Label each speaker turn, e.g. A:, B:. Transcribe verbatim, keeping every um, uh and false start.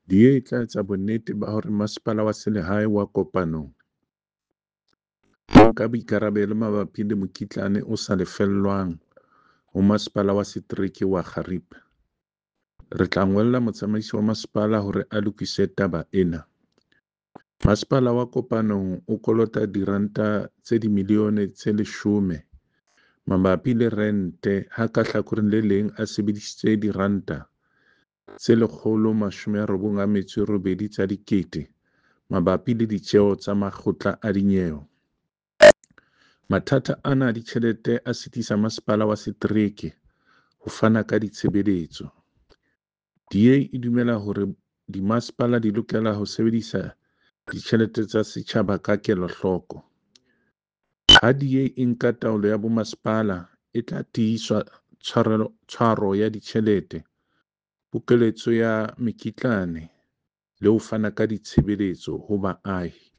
A: D A e tla etsa bonnete ba hore Masepala wa Selehae wa Kopanong o nka boikarabelo mabapi le mokitlane o sa lefellwang ho Masepala wa Setereke wa Xhariep. Re tla ngolla motsamaisi wa masepala hore a lokise taba ena. Masepala wa Kopanong o kolota diranta tse dimilione tse leshome mabapi le rente ha ka hlakoreng le leng a sebedisitse diranta tse lekgolo mashome a robong a metso e robedi tsa dikete mabapi le ditjeo tsa makgotla a dinyewe. Mathata ana a ditjhelete a sitisa masepala wa setereke ho fana ka ditshebeletso. D A e dumela hore dimasepala di lokela ho sebedisa ditjhelete tsa setjhaba ka kelohloko. Ha D A e nka taolo ya bomasepala, e tla tiisa tshwaro ya ditjhelete, pokeletso ya mekitlane le ho fana ka ditshebeletso ho baahi.